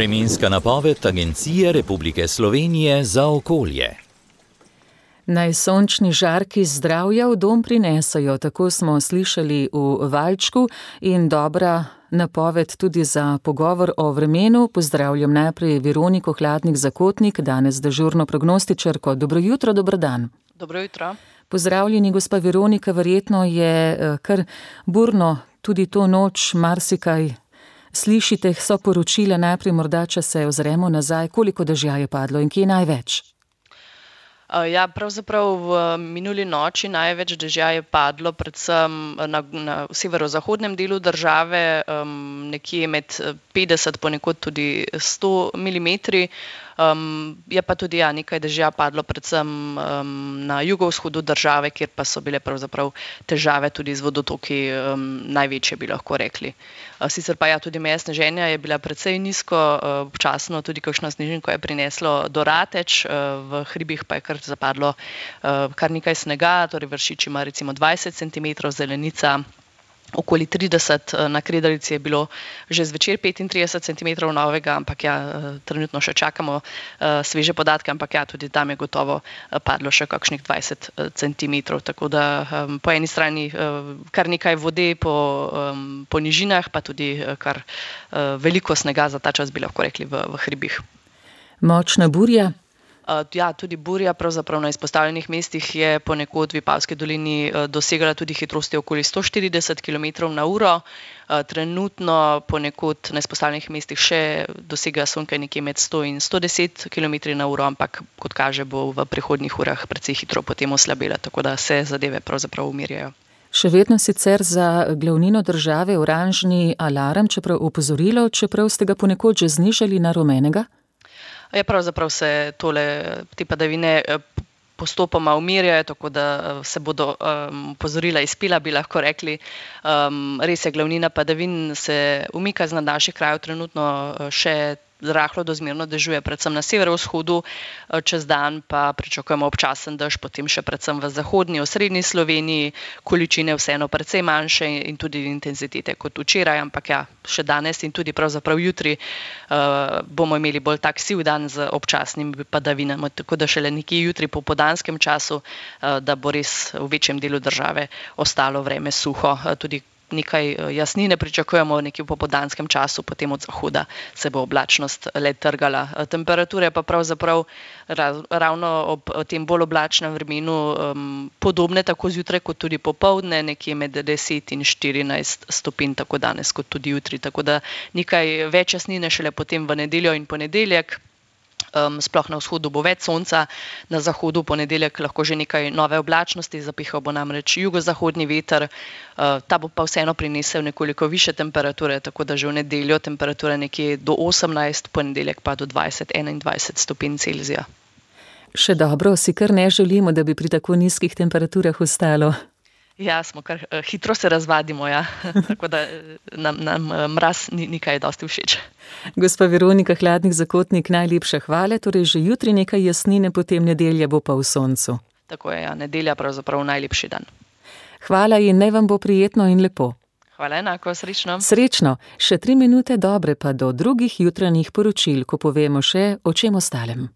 Vremenska napoved Agencije Republike Slovenije za okolje. Naj sončni žarki zdravja v dom prinesajo, tako smo slišali v valčku, in dobra napoved tudi za pogovor o vremenu. Pozdravljam najprej Veroniko Hladnik-Zakotnik, danes dežurno prognostičarko. Dobro jutro, dober dan. Dobro jutro. Pozdravljeni, gospa Veronika, verjetno je kar burno tudi to noč, marsikaj slišite, so poročila. Najprej morda, če se ozremo nazaj, koliko dežja je padlo in kje največ? Ja, pravzaprav v minuli noči največ dežja je padlo predvsem na severozahodnem delu države, nekje med 50, ponekod tudi 100 milimetri. Je pa tudi nekaj dežja padlo predvsem na jugovzhodu države, kjer pa so bile pravzaprav težave tudi z vodotoki največje, bi lahko rekli. Sicer pa tudi meja sneženja je bila precej nizko, občasno tudi kakšno snežinko je prineslo do Rateč, v hribih pa je kar zapadlo kar nekaj snega, torej Vršič ima recimo 20 centimetrov, Zelenica okoli 30, na Kredarici je bilo že zvečer 35 centimetrov novega, ampak trenutno še čakamo sveže podatke, ampak tudi tam je gotovo padlo še kakšnih 20 centimetrov, tako da po eni strani kar nekaj vode po nižinah, pa tudi kar veliko snega za ta čas, bi lahko rekli, v hribih. Močna burja? Tudi burja pravzaprav na izpostavljenih mestih je ponekod v Vipavski dolini dosegala tudi hitrosti okoli 140 km/h. Trenutno ponekod na izpostavljenih mestih še dosega sonke nekje med 100 in 110 km/h, ampak kot kaže bo v prihodnjih urah precej hitro potem oslabela, tako da se zadeve pravzaprav umirjajo. Še vedno sicer za glavnino države oranžni alarm, čeprav opozorilo, čeprav ste ga ponekod že znižali na rumenega? Pravzaprav se te padavine postopoma umirjajo, tako da se bodo opozorila izpila, bi lahko rekli. Res je, glavnina padavin se umika z nad naših krajev, trenutno še rahlo do zmerno dežuje, predvsem na severovzhodu, čez dan pa pričakujemo občasen dež, potem še predvsem v zahodni, osrednji Sloveniji, količine vseeno precej manjše in tudi intenzitete kot včeraj, ampak še danes in tudi pravzaprav jutri bomo imeli bolj tak siv dan z občasnimi padavinami, tako da šele nekje jutri po popoldanskem času, da bo res v večjem delu države ostalo vreme suho, tudi nekaj jasnine pričakujemo nekje v popoldanskem času, potem od zahoda se bo oblačnost le trgala. Temperature pa pravzaprav ravno ob tem bolj oblačnem vremenu podobne tako zjutraj kot tudi popoldne, nekje med 10 in 14 stopinj, tako danes kot tudi jutri. Tako da nekaj več jasnine šele potem v nedeljo in ponedeljek. Sploh na vzhodu bo več sonca, na zahodu ponedeljek lahko že nekaj nove oblačnosti, zapihal bo namreč jugozahodni veter, ta bo pa vseeno prinesel nekoliko više temperature, tako da že v nedeljo temperatura nekje do 18, ponedeljek pa do 20-21 stopinj Celzija. Še dobro, si kar ne želimo, da bi pri tako nizkih temperaturah ostalo. Smo kar hitro se razvadimo, tako da nam mraz ni kaj dosti všeč. Gospa Veronika Hladnik-Zakotnik, najlepša hvala, torej že jutri nekaj jasnine, potem nedelja bo pa v soncu. Tako je, nedelja pravzaprav najlepši dan. Hvala in naj vam bo prijetno in lepo. Hvala enako, srečno. Srečno, še 3 minute dobre pa do drugih jutranjih poročil, ko povemo še o čem ostalem.